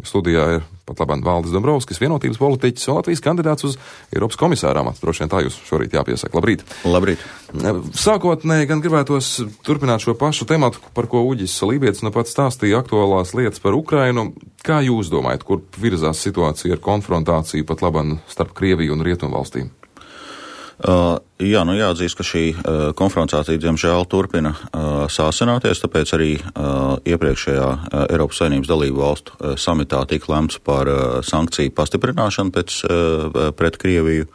studijā ir pat labāk Valdis Dombrovskis, vienotības politiķis un Latvijas kandidāts uz Eiropas komisāra amatu. Droši vien tā jūs šorīt jāpiesaka. Labrīt! Labrīt! Sākotnēji gan gribētos turpināt šo pašu tematu, par ko Uģis Lībietis nu pats stāstīja aktuālās lietas par Ukrainu. Kā jūs domājat, kur virzās situācija ar konfrontāciju pat labāk starp Krieviju un Rietumvalstīm? Jāatzīst, ka šī konfrontācija, diemžēl, turpina sāsināties, tāpēc arī iepriekšējā Eiropas Savienības dalību valstu samitā tika lemts par sankciju pastiprināšanu pret Krieviju.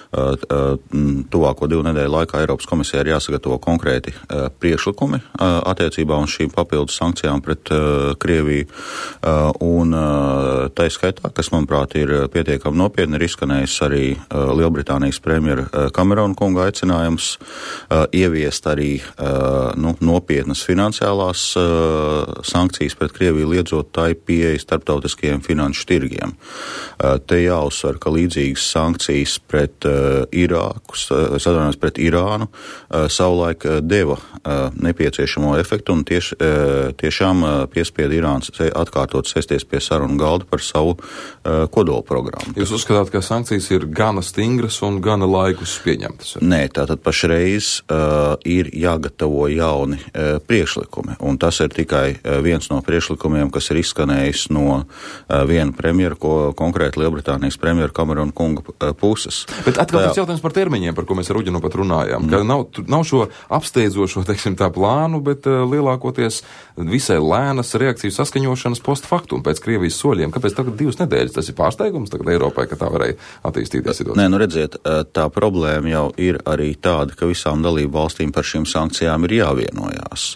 Tuvāko 2 nedēļu laikā Eiropas komisijai ir jāsagatavo konkrēti priekšlikumi attiecībā uz šīm papildus sankcijām pret Krieviju. Un tā skaitā, kas, manuprāt, ir pietiekami nopietni, ir izskanējis arī Lielbritānijas premjera Kamerona kunga aicinājums ieviest arī nopietnas finansiālās sankcijas pret Krieviju, liedzot tai pieeja starptautiskajiem finanšu tirgiem. Te jāuzsver, ka līdzīgas sankcijas pret pret Irānu savulaik deva nepieciešamo efektu un tiešām piespieda Irānas atkārtot sēsties pie sarunu galda par savu kodola programmu. Jūs uzskatāt, ka sankcijas ir gana stingras un gana laikus pieņemtas? Nē, tātad pašreiz ir jāgatavo jauni priekšlikumi, un tas ir tikai viens no priekšlikumiem, kas ir izskanējis no viena premjera, konkrēti Lielbritānijas premjera Kamerona kunga puses. Bet atkal tas jautājums par termiņiem, par ko mēs ar Uģi nu pat runājām. Ka nav šo apsteidzošo, teiksim, tā plānu, bet lielākoties visai lēnas reakciju saskaņošanas post factum pēc Krievijas soļiem. Kāpēc tagad 2 nedēļas? Tas ir pārsteigums tagad Eiropai, ka tā varēja attīstīties situācija. Nē, redziet, tā problēma jau ir arī tāda, ka visām dalību valstīm par šīm sankcijām ir jāvienojās.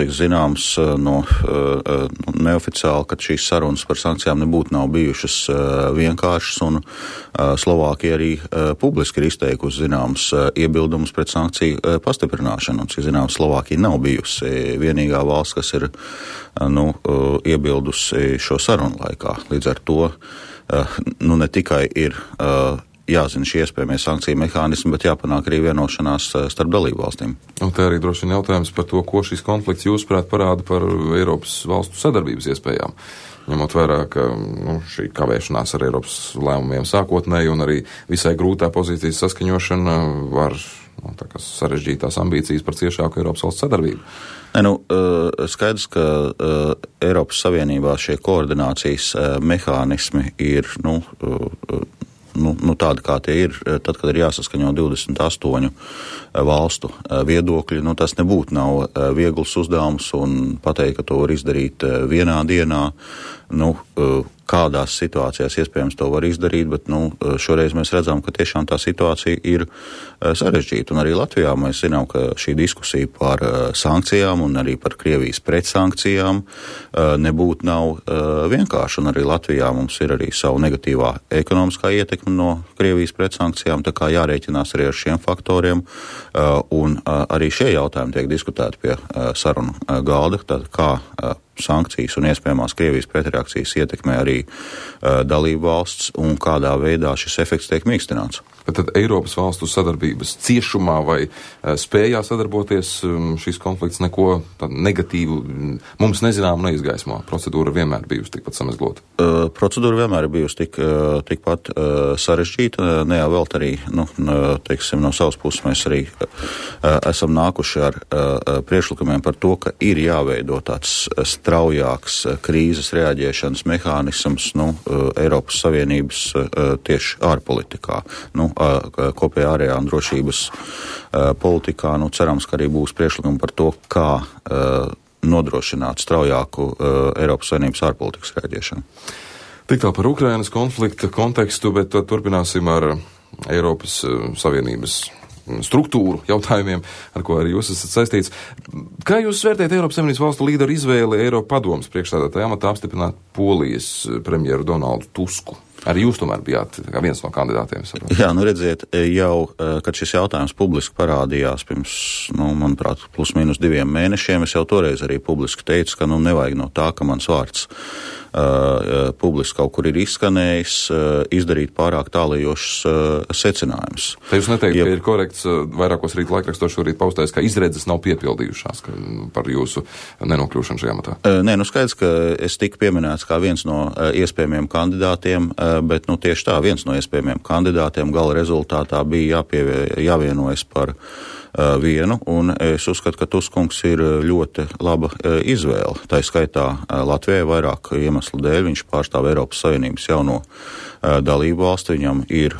Cik zināms, neoficiāli, ka šīs sarunas par sankcijām nav bijušas vienkāršas, un Slovākija arī publiski ir izteikusi zināms iebildumus pret sankciju pastiprināšanu, un cik zināms, Slovākija nav bijusi vienīgā valsts, kas ir iebildusi šo sarunu laikā. Līdz ar to ne tikai ir jāzina šie iespējamie sankciju mehānismi, bet jāpanāk arī vienošanās starp dalību valstīm. Un te arī droši vien jautājums par to, ko šis konflikts jūsuprāt parāda par Eiropas valstu sadarbības iespējām. Ņemot vērā, ka šī kavēšanās ar Eiropas lēmumiem sākotnēji un arī visai grūtā pozīcijas saskaņošana var sarežģīt tās ambīcijas par ciešāku Eiropas valsts sadarbību. Skaidrs, ka Eiropas Savienībā šie koordinācijas mehānismi ir tādi, kā tie ir, tad, kad ir jāsaskaņo 28 valstu viedokļi, tas nebūtu nav viegls uzdevums, un pateikt, ka to var izdarīt vienā dienā, kādās situācijās iespējams to var izdarīt, bet šoreiz mēs redzam, ka tiešām tā situācija ir sarežģīta. Un arī Latvijā mēs zinām, ka šī diskusija par sankcijām un arī par Krievijas pretsankcijām nebūtu nav vienkārši. Un arī Latvijā mums ir arī savu negatīvā ekonomiskā ietekme no Krievijas pretsankcijām, tā kā jārēķinās arī ar šiem faktoriem. Un arī šie jautājumi tiek diskutēti pie sarunu galda, tad kā sankcijas un iespējamās Krievijas pretreakcijas ietekmē arī dalību valsts un kādā veidā šis efekts tiek mīkstināts. Bet tad Eiropas valstu sadarbības ciešumā vai spējā sadarboties šis konflikts neko negatīvu mums nezināmu neizgaismo? Procedūra vienmēr bijusi tikpat samezglota? Procedūra vienmēr ir bijusi tikpat sarežģīta. Nevēlt arī, no savas puses mēs arī esam nākuši ar priekšlikumiem par to, ka ir jāveido tāds straujāks krīzes reaģēšanas mehānisms Eiropas Savienības tieši ārpolitikā. Kopējā ārējā un drošības politikā, cerams, ka arī būs priekšlikumi par to, kā nodrošināt straujāku Eiropas Savienības ārpolitikas reaģēšanu. Tik tā par Ukrainas konflikta kontekstu, bet turpināsim ar Eiropas Savienības struktūru jautājumiem, ar ko arī jūs esat saistīts. Kā jūs vērtējat Eiropas Savienības valstu līderu izvēli Eiropa padomes priekšsēdētāja amatā apstiprināt Polijas premjeru Donaldu Tusku? Arī jūs tomēr bijāt viens no kandidātiem. Jā, redziet, jau, kad šis jautājums publiski parādījās pirms, manuprāt, plus mīnus 2 mēnešiem, es jau toreiz arī publiski teicu, ka nevajag no tā, ka mans vārds publiski kaut kur ir izskanējis, izdarīt pārāk tālajošus secinājumus. Te jūs neteikt, ka ir korekts vairākos rīt laikrakstos šorīt paustais, ka izredzes nav piepildījušās par jūsu nenokļūšanu šajā matā? Nē, skaidrs, ka es tiku pieminēts kā viens no iespējamiem kandidātiem, bet tieši tā, viens no iespējamiem kandidātiem gala rezultātā bija jāvienojas par vienu, un es uzskatu, ka Tuskungs ir ļoti laba izvēle. Tā skaitā Latvijai vairāk iemeslu dēļ, viņš pārstāv Eiropas Savienības jauno dalību valsti, viņam ir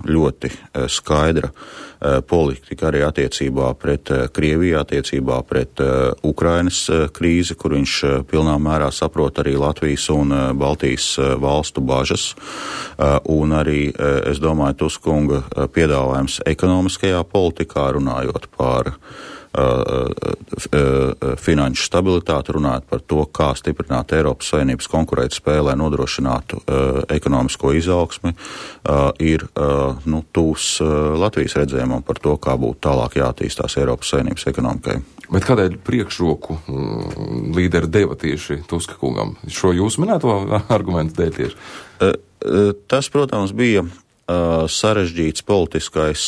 ļoti skaidra politika arī attiecībā pret Krieviju, attiecībā pret Ukrainas krīzi, kur viņš pilnā mērā saprot arī Latvijas un Baltijas valstu bažas, un arī, es domāju, Tuskunga piedāvājums ekonomiskajā politikā, runājot par finanšu stabilitāti, runājot par to, kā stiprināt Eiropas Savienības konkurētspēju, lai nodrošinātu ekonomisko izaugsmi, ir tūs Latvijas redzējumam par to, kā būtu tālāk jātīstās Eiropas Savienības ekonomikai. Bet kādēļ priekšroku līderi deva tieši Tuska kungam? Šo jūs minēto argumentu dēļ tieši? Tas, protams, bija sarežģīts politiskais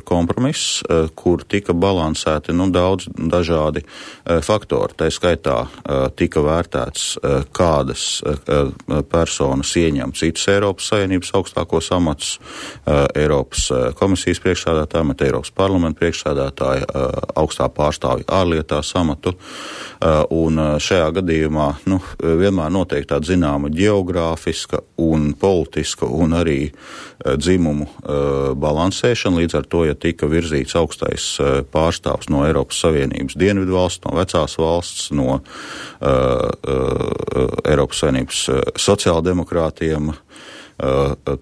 kompromiss, kur tika balansēti daudz dažādi faktori. Tā skaitā tika vērtēts, kādas personas ieņem citus Eiropas Savienības augstākos amatus, Eiropas komisijas priekšsēdētāja, bet Eiropas parlamenta priekšsēdētāja, augstā pārstāvja ārlietās amatu. Un šajā gadījumā vienmēr notiek tāda zināma geogrāfiska un politiska un arī dzimumu balansēšana, līdz ar to, ja tika virzīts augstais pārstāvs no Eiropas Savienības dienvidu valsts, no vecās valsts, no Eiropas Savienības sociāldemokrātiem,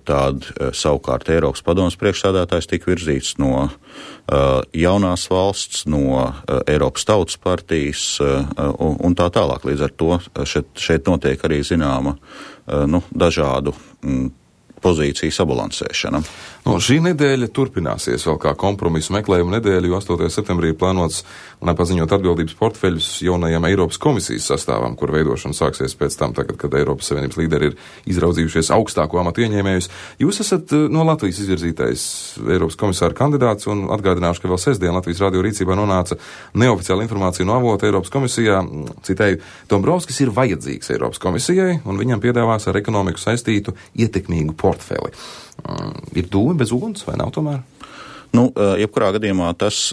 tad savukārt Eiropas padomes priekšsēdētājs tika virzīts no jaunās valsts, no Eiropas tautas partijas un tā tālāk. Līdz ar to šeit notiek arī zināma dažādu pozīciju sabalansēšana. Šī nedēļa turpināsies vēl kā kompromisu meklējuma nedēļa, jo 8. septembrī ir plānots paziņot atbildības portfeļus jaunajam Eiropas komisijas sastāvam, kur veidošana sāksies pēc tam, tagad, kad Eiropas Savienības līderi ir izraudzījušies augstāko amatu ieņēmējus. Jūs esat no Latvijas izvirzītais Eiropas komisāra kandidāts, un atgādināšu, ka vēl sestdien Latvijas radio rīcībā nonāca neoficiāla informācija no avota Eiropas komisijā. Citēju, Dombrovskis ir vajadzīgs Eiropas komisijai, un viņam piedāvās ar ekonomiku saistītu ietekmīgu portfeli. Ir dūmi bez uguns, vai nav tomēr? Jebkurā gadījumā tas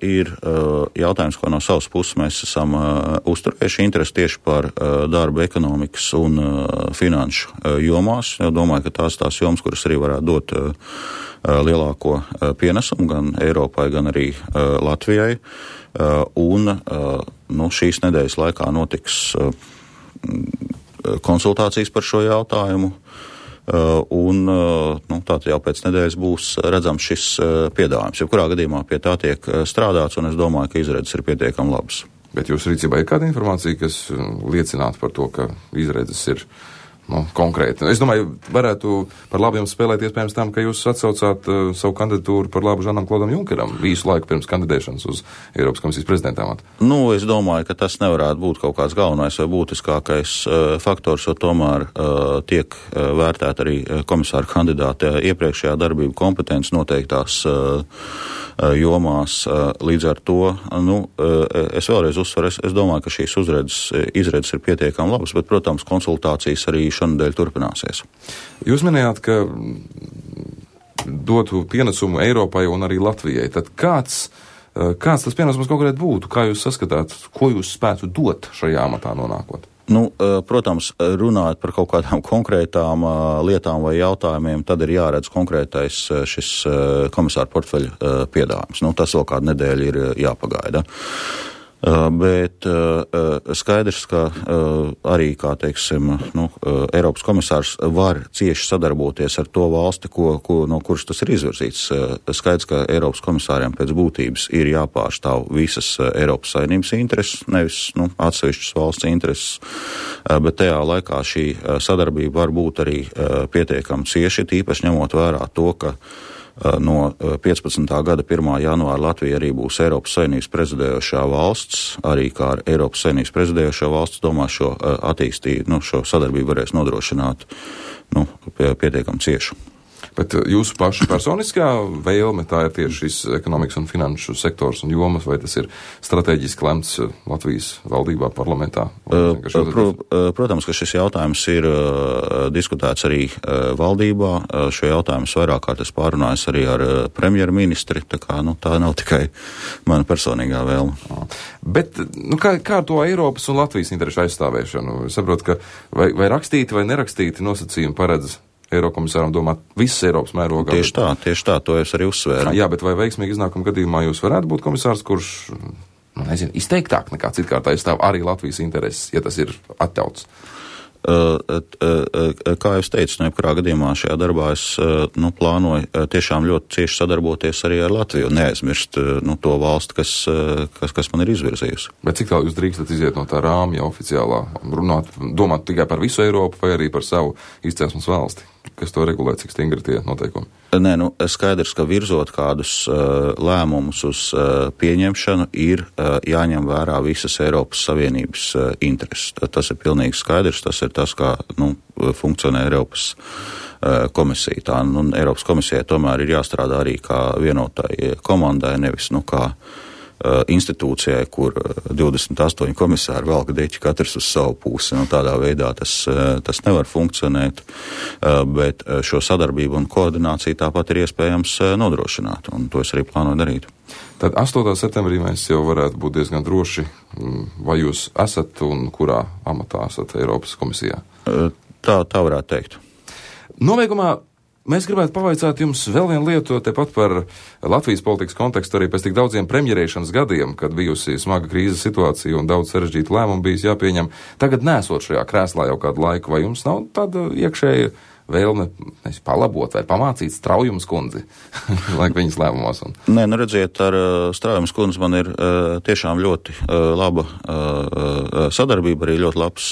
ir jautājums, ko no savas puses mēs esam uzturējuši interesi tieši par darba ekonomikas un finanšu jomās. Domāju, ka tās jomas, kuras arī varētu dot lielāko pienesumu gan Eiropai, gan arī Latvijai. Un šīs nedēļas laikā notiks konsultācijas par šo jautājumu. Un tātad jau pēc nedēļas būs redzams šis piedāvājums. Jebkurā gadījumā pie tā tiek strādāts, un es domāju, ka izredzes ir pietiekami labas. Bet jūsu rīcībā ir kāda informācija, kas liecinātu par to, ka izredzes ir konkrēti? Es domāju, varētu par labu jums spēlēt iespējams tam, ka jūs atsaucāt savu kandidatūru par labu Žanam Klodam Junkeram visu laiku pirms kandidēšanas uz Eiropas komisijas prezidenta amatu. Es domāju, ka tas nevarētu būt kaut kāds galvenais vai būtiskākais faktors, jo tomēr tiek vērtēt arī komisāra kandidāta iepriekšējā darbību kompetences noteiktās jomās. Līdz ar to, es vēlreiz uzsveru, es domāju, ka šīs izredzes ir pietiekami labas, bet, protams, konsultācijas arī šonadēļ turpināsies. Jūs minējāt, ka dotu pienesumu Eiropai un arī Latvijai. Tad kāds tas pienesums konkrēti būtu? Kā jūs saskatāt, ko jūs spētu dot šajā amatā nonākot? Protams, runājot par kaut kādām konkrētām lietām vai jautājumiem, tad ir jāredz konkrētais šis komisāra portfeļa piedāvājums. Tas vēl kādu nedēļu ir jāpagaida. Bet skaidrs, ka arī, kā teiksim, Eiropas komisārs var cieši sadarboties ar to valsti, no kuras tas ir izvirzīts. Skaidrs, ka Eiropas komisāriem pēc būtības ir jāpārstāv visas Eiropas Savienības intereses, nevis atsevišķas valsts intereses, bet tajā laikā šī sadarbība var būt arī pietiekami cieši, tīpaši ņemot vērā to, ka No 15. gada 1. janvāra Latvija arī būs Eiropas Savienības prezidējošā valsts, arī kā ar Eiropas Savienības prezidējošā valsts, domā šo šo sadarbību varēs nodrošināt pietiekami cieši. Bet jūsu paša personiskā vēlme tā ir tieši šis ekonomikas un finanšu sektors un jomas, vai tas ir strateģiski lemts Latvijas valdībā, parlamentā? Protams, ka šis jautājums ir diskutēts arī valdībā. Šo jautājumu vairāk kārt es pārunājos arī ar premjerministri, tā kā tā nav tikai mana personīgā vēlme. Bet kā ar to Eiropas un Latvijas interešu aizstāvēšanu? Es saprotu, ka vai rakstīti vai nerakstīti nosacījumi paredz Eirokomisāram domāt visas Eiropas mērogā. Tieši tā, to es arī uzsvēru. Jā, bet vai veiksmīgi iznākuma gadījumā jūs varētu būt komisārs, kurš, izteiktāk nekā citkārt aizstāv arī Latvijas intereses, ja tas ir atļauts? Kā jau es teicu, jebkurā gadījumā šajā darbā es plānoju tiešām ļoti cieši sadarboties arī ar Latviju un neaizmirst to valsti, kas man ir izvirzījusi. Bet cik tālu jūs drīkstat iziet no tā rāmja oficiālā, domāt tikai par visu Eiropu vai arī par savu izcelsmes valsti? Kas to regulē, cik stingri tie noteikumi? Nē, skaidrs, ka virzot kādus lēmumus uz pieņemšanu ir jāņem vērā visas Eiropas Savienības intereses. Tas ir pilnīgi skaidrs, tas ir tas, kā funkcionē Eiropas komisija. Tā, Eiropas komisijai tomēr ir jāstrādā arī kā vienotai komandai, nevis kā institūcijai, kur 28 komisāri velk deķi katrs uz savu pusi. Tādā veidā tas nevar funkcionēt, bet šo sadarbību un koordināciju tāpat ir iespējams nodrošināt, un to es arī plānoju darīt. Tad 8. septembrī mēs jau varētu būt diezgan droši, vai jūs esat un kurā amatā esat Eiropas komisijā? Tā varētu teikt. Nobeigumā mēs gribētu pavaicāt jums vēl vienu lietu, tepat par Latvijas politikas kontekstu arī pēc tik daudziem premjerēšanas gadiem, kad bijusi smaga krīzes situācija un daudz sarežģītu lēmumu bijis jāpieņem. Tagad nesot šajā krēslā jau kādu laiku, vai jums nav tāda iekšēja vēlme palabot vai pamācīt Straujumas kundzi, lai viņas lēmumos? Nē, redziet, ar Straujumas kundzi man ir tiešām ļoti laba sadarbība, arī ļoti labs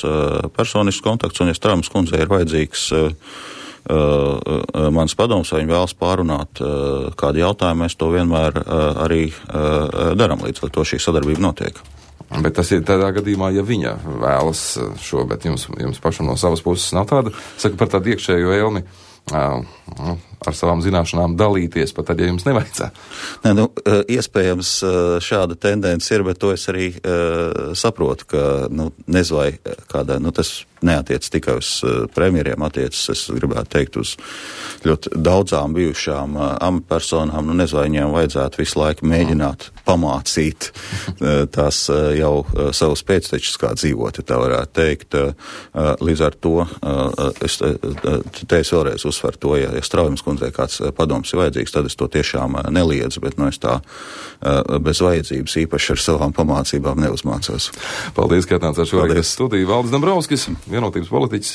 personisks kontakts, un ja Straujumas kundzei ir vajadzīgs mans padoms, vai viņi vēlas pārunāt kādu jautājumu, mēs to vienmēr arī daram, līdz ar to šī sadarbība notiek. Bet tas ir tādā gadījumā, ja viņa vēlas šo, bet jums pašam no savas puses nav tāda, saka par tādu iekšējo vēlmi ar savām zināšanām dalīties, pat tad, ja jums nevajadzētu. Nē, iespējams šāda tendence ir, bet to es arī saprotu, ka, nezinu, vai kādā, tas neatiec tikai uz premjeriem, attiecas, es gribētu teikt, uz ļoti daudzām bijušām amatpersonām, nezinu, vai viņiem vajadzētu visu laiku mēģināt pamācīt tās jau savus pēctečus, kā dzīvot, ja tā varētu teikt. Līdz ar to, es vēlreiz uzsveru to, ja Straujumas kundzei kāds padoms ir vajadzīgs, tad es to tiešām neliedzu, bet es tā bez vajadzības īpaši ar savām pamācībām neuzmācos. Paldies, ka atnācāt šorīt studiju. Valdis Dombrovskis, Vienotības politiķis.